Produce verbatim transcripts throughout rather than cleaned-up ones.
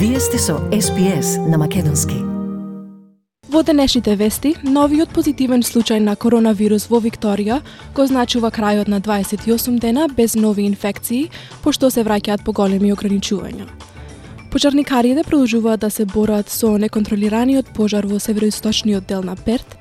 Вие сте со Ес Би Ес на македонски. Во денешните вести, новиот позитивен случај на коронавирус во Викторија го значува крајот на дваесет и осум дена без нови инфекции, пошто се враќаат поголеми ограничувања. Пожарникарите продолжуваат да се борат со неконтролираниот пожар во североисточниот дел на Перт.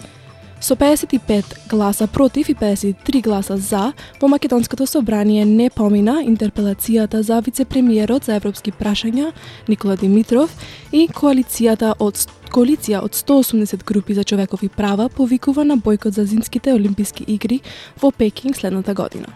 Со педесет и пет гласа против и педесет и три гласа за, во Македонското собрание не помина интерпелацијата за вице-премиерот за европски прашања Никола Димитров и коалицијата од коалиција од сто и осумдесет групи за човекови права повикува на бојкот за зимските олимписки игри во Пекинг следната година.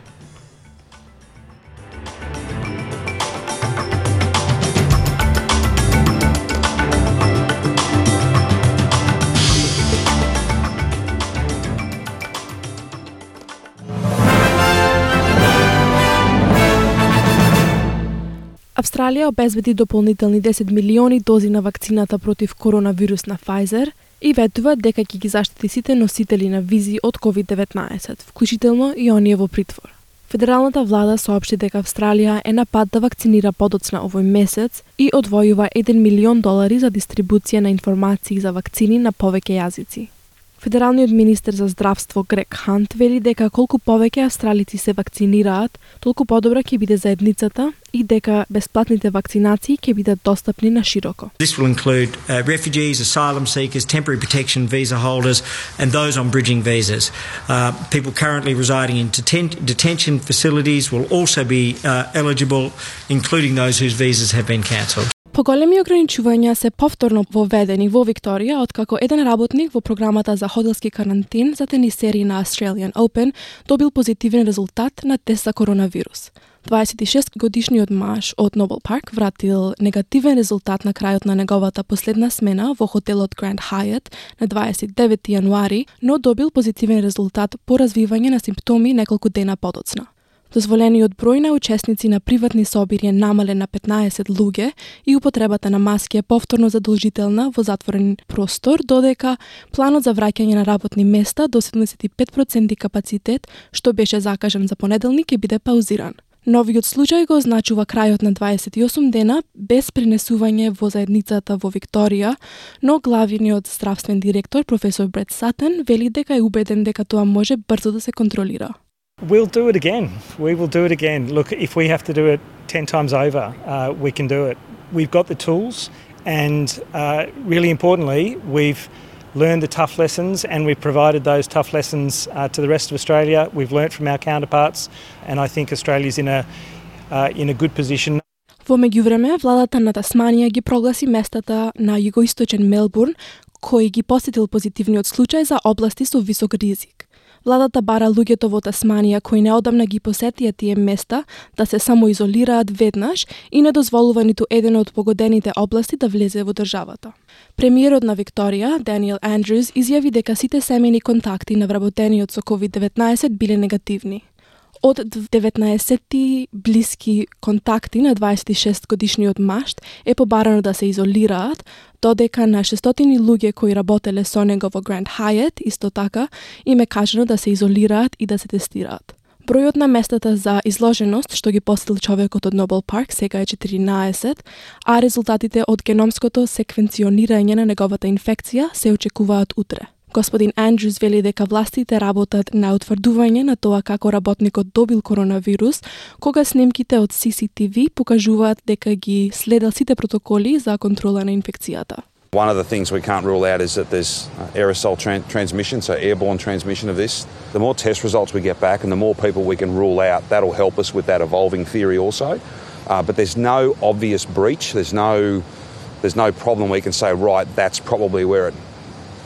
Австралија обезбеди дополнителни десет милиони дози на вакцината против коронавирус на Pfizer и ветува дека ќе ги заштити сите носители на визи од ковид деветнаесет, вклучително и оние во притвор. Федералната влада соопшти дека Австралија е на пат да вакцинира подоцна овој месец и одвојува еден милион долари за дистрибуција на информации за вакцини на повеќе јазици. Федералниот министер за здравство Грег Хант вели дека колку повеќе австралици се вакцинираат, толку подобра ќе биде заедницата и дека бесплатните вакцинации ќе бидат достапни на широко. This will include uh, refugees, asylum seekers, temporary protection visa holders and those on bridging visas. Uh, people currently residing in deten- detention facilities will also be uh, eligible, including those whose visas have been cancelled. Поголеми ограничувања се повторно воведени во Викторија откако еден работник во програмата за хотелски карантин за тенисери на Australian Open добил позитивен резултат на тест за коронавирус. дваесет и шест годишниот маж од Нобел Парк вратил негативен резултат на крајот на неговата последна смена во хотелот Grand Hyatt на дваесет и девети јануари, но добил позитивен резултат по развивање на симптоми неколку дена подоцна. Дозволениот број на учесници на приватни собири е намален на петнаесет луѓе и употребата на маски е повторно задолжителна во затворен простор, додека планот за враќање на работни места до седумдесет и пет проценти капацитет, што беше закажан за понеделник, ќе биде паузиран. Новиот случај го означува крајот на дваесет и осум дена без пренесување во заедницата во Викторија, но главниот здравствен директор професор Брет Сатен вели дека е убеден дека тоа може брзо да се контролира. We'll do it again. We will do it again. Look, if we have to do it ten times over, uh, we can do it. We've got the tools, and uh, really importantly, we've learned the tough lessons, and we've provided those tough lessons uh, to the rest of Australia. We've learnt from our counterparts, and I think Australia's in a uh, in a good position. Во меѓувреме, владата на Тасманија ги прогласи местата на југоисточен Мелбурн, кои ги посетил позитивниот случај за области со висок ризик. Владата бара луѓето во Тасманија кои неодамна ги посетија тие места да се самоизолираат веднаш и не дозволува ниту еден од погодените области да влезе во државата. Премиерот на Викторија, Даниел Андрюс, изјави дека сите семејни контакти на вработениот со ковид деветнаесет биле негативни. Од деветнаесет блиски контакти на дваесет и шест годишниот маж е побарано да се изолираат, додека на шестстотини луѓе кои работеле со него во Grand Hyatt исто така им е кажано да се изолираат и да се тестираат. Бројот на местата за изложеност што ги посетил човекот од Нобел Парк сега е четиринаесет, а резултатите од геномското секвенционирање на неговата инфекција се очекуваат утре. Господин Андрюс вели дека властите работат на утврдување на тоа како работникот добил коронавирус, кога снимките од Си Си Ти Ви покажуваат дека ги следел сите протоколи за контрола на инфекцијата. One of the things we can't rule out is that there's aerosol tran- transmission, so airborne transmission of this. The more test results we get back and the more people we can rule out, that'll help us with that evolving theory also. Uh, but there's no obvious breach. There's no, there's no problem we can say, right, that's probably where it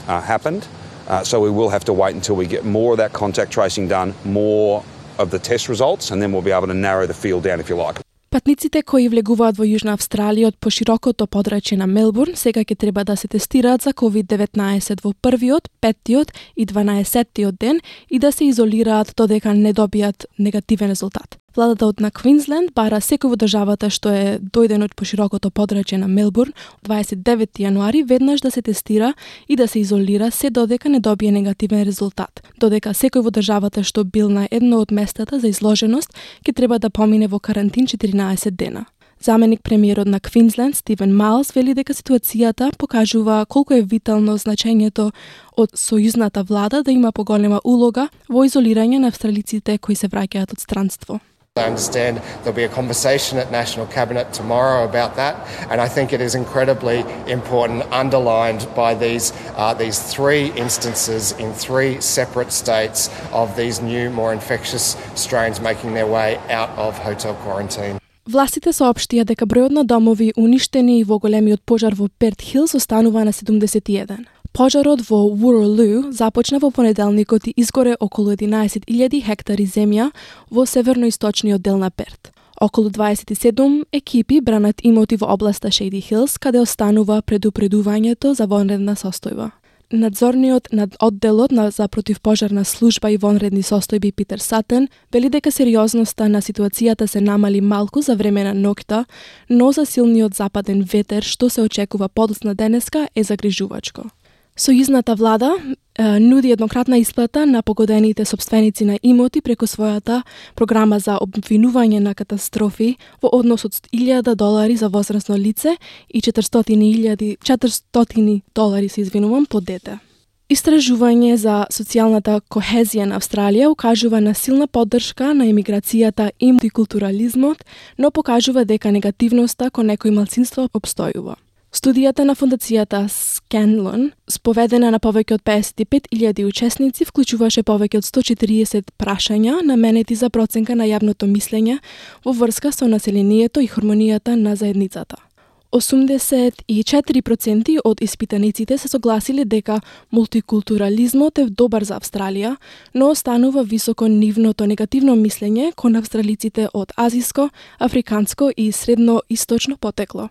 uh, happened. Uh, so we will have to wait until we get more of that contact tracing done, more of the test results, and then we'll be able to narrow the field down, if you like. Патниците кои влегуваат во Јужна Австралија од поширокото подрачје на Мелбурн сега ќе треба да се тестираат за ковид деветнаесет во првиот, петтиот и дванаесеттиот ден и да се изолираат додека не добијат негативен резултат. Владата од на Квинсленд бара секој во државата што е дојден од поширокото подрачје на Мелбурн дваесет и девети јануари веднаш да се тестира и да се изолира се додека не добие негативен резултат. Додека секој во државата што бил на едно од местата за изложеност ќе треба да помине во карантин четиринаесет дена. Заменик премиерот на Квинсленд Стивен Майлс вели дека ситуацијата покажува колку е витално значењето од сојузната влада да има поголема улога во изолирање на австралиците кои се враќаат од странство. I understand there'll be a conversation at National Cabinet tomorrow about that, and I think it is incredibly important, underlined by these uh, these three instances in three separate states of these new, more infectious strains making their way out of hotel quarantine. Властите соопштија дека бројот на домови уништени во големиот пожар во Перт Хилс останува на седумдесет и еден. Пожарот во Уролу започна во понеделникот и изгоре околу единаесет илјади хектари земја во северноисточниот дел на Перт. Околу дваесет и седум екипи бранат имоти во областа Шейди Хилс, каде останува предупредувањето за вонредна состојба. Надзорниот над одделот на за противпожарна служба и вонредни состојби Питер Сатен вели дека сериозноста на ситуацијата се намали малку за време на ноќта, но за силниот западен ветер што се очекува подоцна денеска е загрижувачко. Сојузната влада е, нуди еднократна исплата на погодените собственици на имоти преку својата програма за обвинување на катастрофи во однос од илјада долари за возрасно лице и четиристотини илјади четиристотини долари се извинувам по дете. Истражување за социјалната кохезија на Австралија укажува на силна поддршка на емиграцијата и мултикултурализмот, но покажува дека негативноста кон некои малцинства обстојува. Студијата на фондацијата Scanlon, споведена на повеќе од песет и пет илјади учесници, вклучуваше повеќе од сто четириесет прашања наменети за проценка на јавното мислење во врска со населението и хармонијата на заедницата. осумдесет и четири проценти од испитаниците се согласиле дека мултикултурализмот е добар за Австралија, но останува високо нивното негативно мислење кон австралиците од азиско, африканско и средноисточно потекло.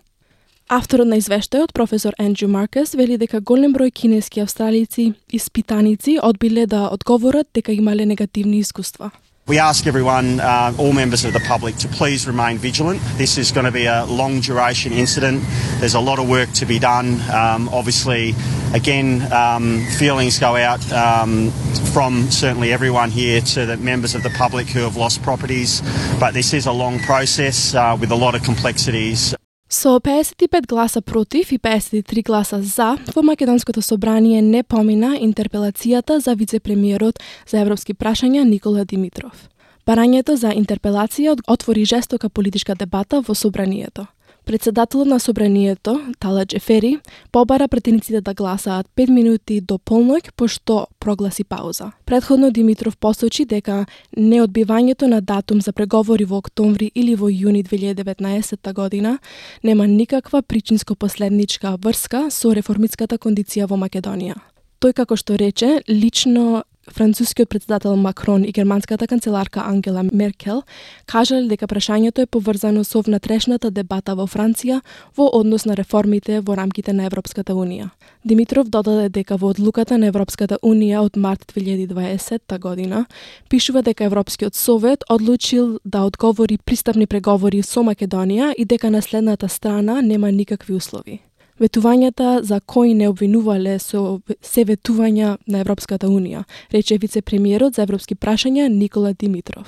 Авторот на извештајот, професор Ендрю Маркес, вели дека голем број кинески австралици испитаници одбиле да одговорат дека имале негативни искуства. We ask everyone, uh, all members of the public, to please remain vigilant. This is going to be a long duration incident. There's a lot of work to be done. Um, obviously, again, um, feelings go out um, from certainly everyone here to the members of the public who have lost properties. But this is a long process uh, with a lot of complexities. Со песет и пет гласа против и песет и три гласа за, во Македонското собрание не помина интерпелацијата за вице-премиерот за европски прашања Никола Димитров. Барањето за интерпелација отвори жестока политичка дебата во собранието. Председателот на собранието, Тала Джефери, побара пратениците да гласаат пет минути до полноќ, пошто прогласи пауза. Претходно Димитров посочи дека неодбивањето на датум за преговори во октомври или во јуни две илјади и деветнаесетта година нема никаква причинско-последничка врска со реформистската кондиција во Македонија. Тој, како што рече, лично францускиот председател Макрон и германската канцеларка Ангела Меркел кажале дека прашањето е поврзано со внатрешната дебата во Франција во однос на реформите во рамките на Европската Унија. Димитров додаде дека во одлуката на Европската Унија од март две илјади и дваесетта година пишува дека Европскиот совет одлучил да одговори пристапни преговори со Македонија и дека на следната страна нема никакви услови. Ветувањата за кои не обвинувале со се ветувања на Европската Унија, рече вице-премиерот за европски прашања Никола Димитров.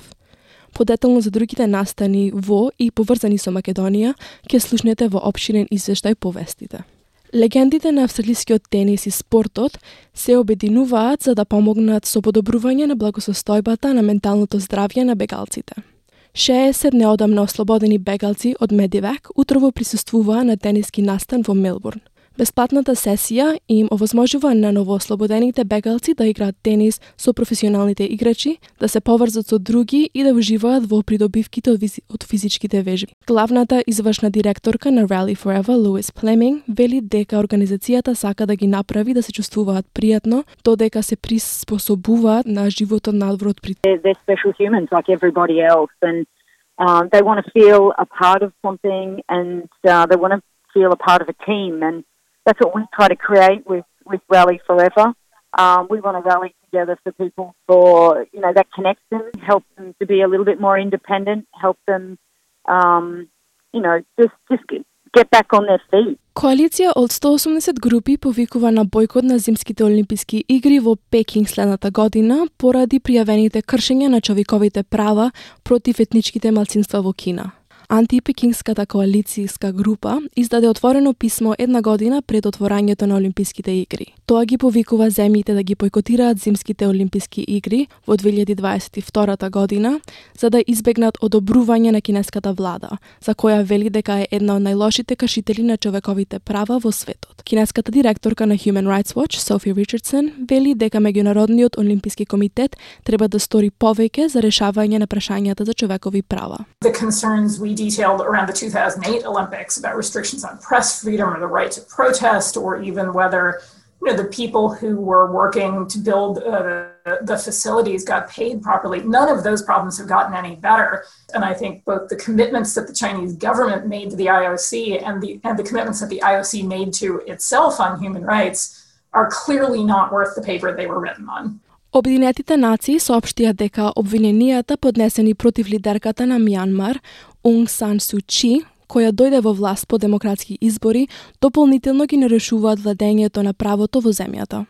Подетално за другите настани во и поврзани со Македонија, ќе слушнете во опширен извештај по вестите. Легендите на австралискиот тенис и спортот се обединуваат за да помогнат со подобрување на благосостојбата на менталното здравје на бегалците. шеесет неодамна ослободени бегалци од Медивек утрово присуствуваа на тениски настан во Мелбурн. Бесплатната сесија им овозможува на новоослободените бегалци да играат тенис со професионалните играчи, да се поврзат со други и да уживаат во придобивките од, визи... од физичките вежби. Главната извршна директорка на Rally Forever, Луис Племинг, вели дека организацијата сака да ги направи да се чувствуваат пријатно, додека се приспособуваат на животот надвор од прит. They're special humans like everybody else, and um, they want to feel a part of something, and uh, they want to feel a part of a team, and that's what we try to create with, with Rally Forever. Um, we want to rally together for people for, you know, that connection, help them to be a little bit more independent, help them, um, you know, just, just get back on their feet. Коалиција од сто и осумдесет групи повикува на бојкот на зимските олимписки игри во Пекинг следната година поради пријавените кршења на човековите права против етничките малцинства во Кина. антипекингската коалицијска група издаде отворено писмо една година пред отворањето на Олимписките игри. Тоа ги повикува земјите да ги бойкотираат зимските Олимписки игри во две илјади дваесет и втора година, за да избегнат одобрување на кинеската влада, за која вели дека е една од најлошите кршители на човековите права во светот. Кинеската директорка на Human Rights Watch, Софи Ричардсон, вели дека Меѓународниот олимписки комитет треба да стори повеќе за решавање на прашањата за човекови права. The concerns we detailed around the two thousand eight Olympics about restrictions on press freedom or the right to protest, or even whether you know, the people who were working to build uh, the facilities got paid properly. None of those problems have gotten any better. And I think both the commitments that the Chinese government made to the I O C and the, and the commitments that the I O C made to itself on human rights are clearly not worth the paper they were written on. Обединетите нации соопштија дека обвиненијата поднесени против лидерката на Мјанмар, Аунг Сан Су Чи, која дојде во власт по демократски избори, дополнително ги нарушуваат владењето на правото во земјата.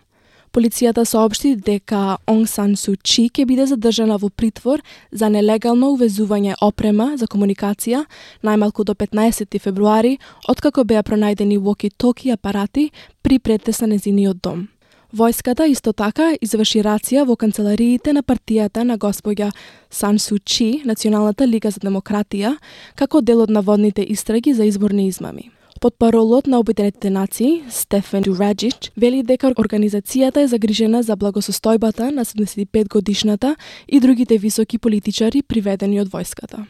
Полицијата соопшти дека Аунг Сан Су Чи ќе биде задржана во притвор за нелегално увезување опрема за комуникација најмалку до петнаесети февруари, откако беа пронајдени воки-токи апарати при претес на незиниот дом. Војската исто така изврши рација во канцелариите на партијата на госпоѓа Сан Су Чи, Националната лига за демократија, како дел од наводните истраги за изборни измами. Потпаролот на Обединетите нации, Стефан Дураджич, вели дека организацијата е загрижена за благосостојбата на седумдесет и пет годишната и другите високи политичари приведени од војската.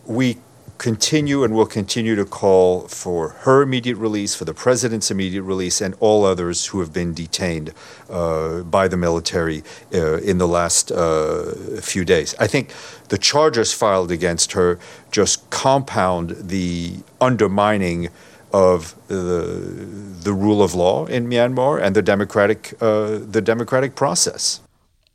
We continue and will continue to call for her immediate release, for the president's immediate release, and all others who have been detained uh, by the military uh, in the last uh, few days. I think the charges filed against her just compound the undermining of the, the rule of law in Myanmar and the democratic, uh, the democratic process.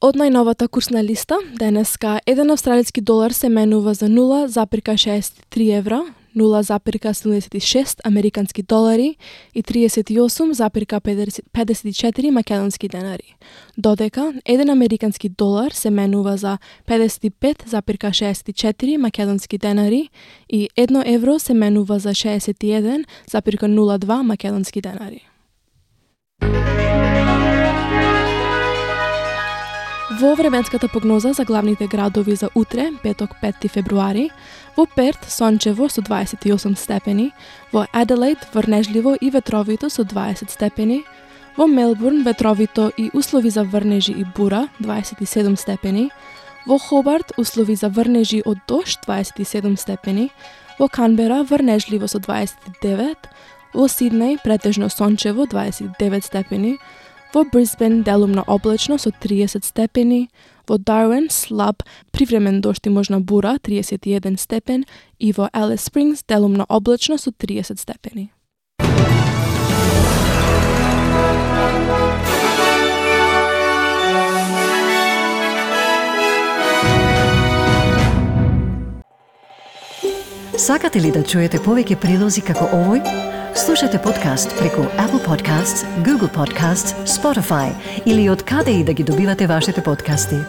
Од најновата курсна листа, денеска еден австралиски долар се менува за нула запирка шеесет и три евра, нула запирка седумдесет и шест американски долари и триесет и осум запирка педесет и четири македонски денари, додека еден американски долар се менува за педесет и пет запирка шеесет и четири македонски денари и едно евро се менува за шеесет и еден запирка нула два македонски денари. Во временската прогноза за главните градови за утре, петок пети февруари, во Перт сончево со дваесет и осум степени, во Аделаид врнежливо и ветровито со дваесет степени, во Мелбурн ветровито и услови за врнежи и бура дваесет и седум степени, во Хобарт услови за врнежи од дожд дваесет и седум степени, во Канбера врнежливо со дваесет и девет, во Сиднеј претежно сончево дваесет и девет степени, во Брисбен делумно облачно со триесет степени, во Дарвин слаб привремен дожд и можна бура триесет и еден степен и во Алис Спрингс делумно облачно со триесет степени. Сакате ли да чуете повеќе прилози како овој? Слушате подкаст преку Apple Podcasts, Google Podcasts, Spotify или од каде и да ги добивате вашите подкасти.